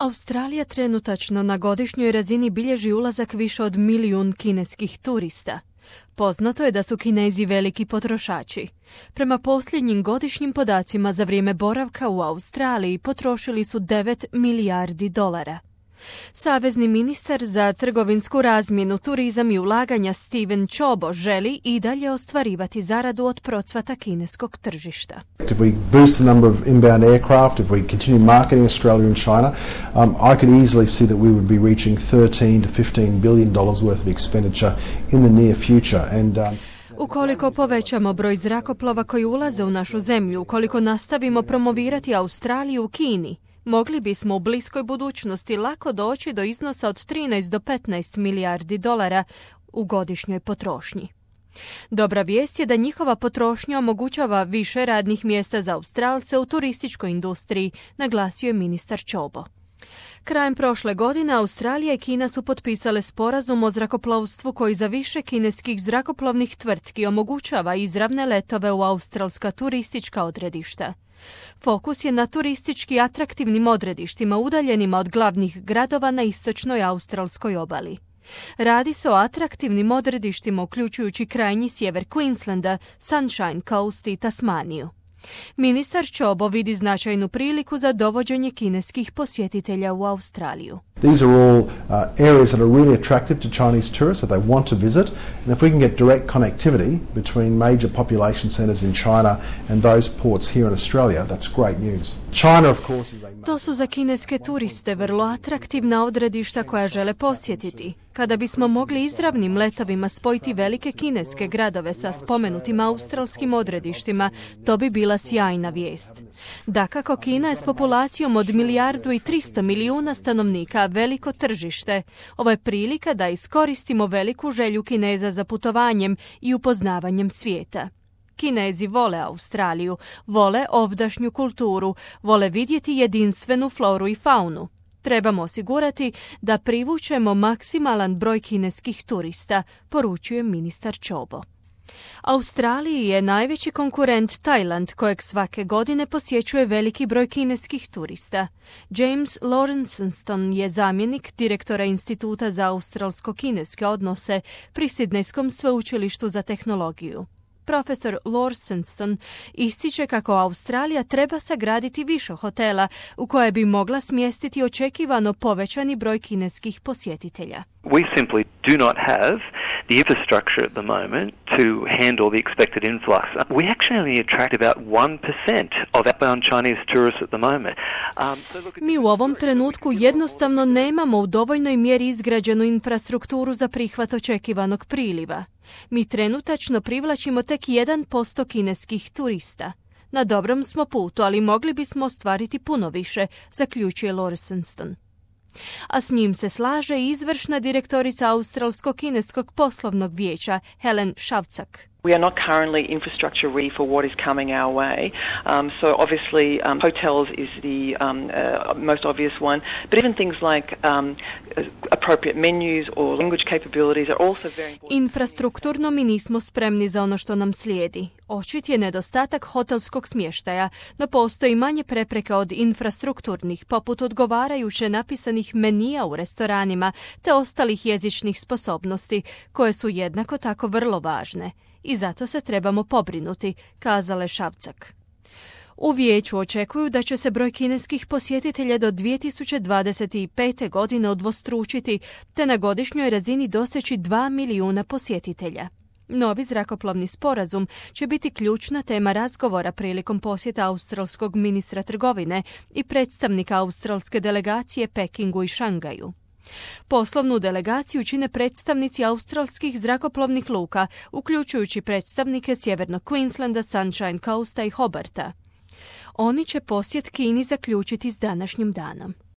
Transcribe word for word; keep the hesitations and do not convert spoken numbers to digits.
Australija trenutačno na godišnjoj razini bilježi ulazak više od milijun kineskih turista. Poznato je da su Kinezi veliki potrošači. Prema posljednjim godišnjim podacima za vrijeme boravka u Australiji potrošili su devet milijardi dolara. Savezni ministar za trgovinsku razmjenu, turizam i ulaganja Stephen Ciobo želi i dalje ostvarivati zaradu od procvata kineskog tržišta. If we boost the number of inbound aircraft, if we continue marketing Australia and China, um, I could easily see that we would be reaching thirteen to fifteen billion dollars worth of expenditure in the near future. And um, Ukoliko povećamo broj zrakoplova koji ulaze u našu zemlju, ukoliko nastavimo promovirati Australiju u Kini, mogli bismo u bliskoj budućnosti lako doći do iznosa od trinaest do petnaest milijardi dolara u godišnjoj potrošnji. Dobra vijest je da njihova potrošnja omogućava više radnih mjesta za Australce u turističkoj industriji, naglasio je ministar Ciobo. Krajem prošle godine Australija i Kina su potpisale sporazum o zrakoplovstvu koji za više kineskih zrakoplovnih tvrtki omogućava izravne letove u australska turistička odredišta. Fokus je na turistički atraktivnim odredištima udaljenima od glavnih gradova na istočnoj australskoj obali. Radi se o atraktivnim odredištima uključujući krajnji sjever Queenslanda, Sunshine Coast i Tasmaniju. Ministar Ciobo vidi značajnu priliku za dovođenje kineskih posjetitelja u Australiju. These are all uh, areas that are really attractive to Chinese tourists that they want to visit, and if we can get direct connectivity between major population centres in China and those ports here in Australia, that's great news. China, of course, is a... To su za kineske turiste vrlo atraktivna odredišta koja žele posjetiti. Kada bismo mogli izravnim letovima spojiti velike kineske gradove sa spomenutim australskim odredištima, to bi bila sjajna vijest. Dakako, Kina je s populacijom od milijardu i tristo milijuna stanovnika veliko tržište. Ovo je prilika da iskoristimo veliku želju Kineza za putovanjem i upoznavanjem svijeta. Kinezi vole Australiju, vole ovdašnju kulturu, vole vidjeti jedinstvenu floru i faunu. Trebamo osigurati da privučemo maksimalan broj kineskih turista, poručuje ministar Ciobo. Australiji je najveći konkurent Tajland, kojeg svake godine posjećuje veliki broj kineskih turista. James Lawrenceston je zamjenik direktora Instituta za australsko-kineske odnose pri Sidnejskom sveučilištu za tehnologiju. Profesor Lawrenceston ističe kako Australija treba sagraditi više hotela u koje bi mogla smjestiti očekivano povećani broj kineskih posjetitelja. We simply do not have the infrastructure at the moment to handle the expected influx. We actually only attract about one percent of outbound Chinese tourists at the moment. Um, so look at... Mi u ovom trenutku jednostavno nemamo u dovoljnoj mjeri izgrađenu infrastrukturu za prihvat očekivanog priliva. Mi trenutačno privlačimo tek jedan posto kineskih turista. Na dobrom smo putu, ali mogli bismo ostvariti puno više, zaključuje Lawrenceston. A s njim se slaže i izvršna direktorica Australsko-kineskog poslovnog vijeća Helen Šavcak. We are not currently infrastructure ready for what is coming our way. Um, so obviously um, hotels is the um, uh, most obvious one, but even things like um, appropriate menus or language capabilities are also very important. Infrastrukturno mi nismo spremni za ono što nam slijedi. Očit je nedostatak hotelskog smještaja, no postoji manje prepreke od infrastrukturnih, poput odgovarajuće napisanih menija u restoranima te ostalih jezičnih sposobnosti, koje su jednako tako vrlo važne. I zato se trebamo pobrinuti, kazala je Šavcak. U vijeću očekuju da će se broj kineskih posjetitelja do dvije tisuće dvadeset pete. godine udvostručiti, te na godišnjoj razini doseći dva milijuna posjetitelja. Novi zrakoplovni sporazum će biti ključna tema razgovora prilikom posjeta australskog ministra trgovine i predstavnika australske delegacije Pekingu i Šangaju. Poslovnu delegaciju čine predstavnici australskih zrakoplovnih luka, uključujući predstavnike sjevernog Queenslanda, Sunshine Coasta i Hobarta. Oni će posjet Kini zaključiti s današnjim danom.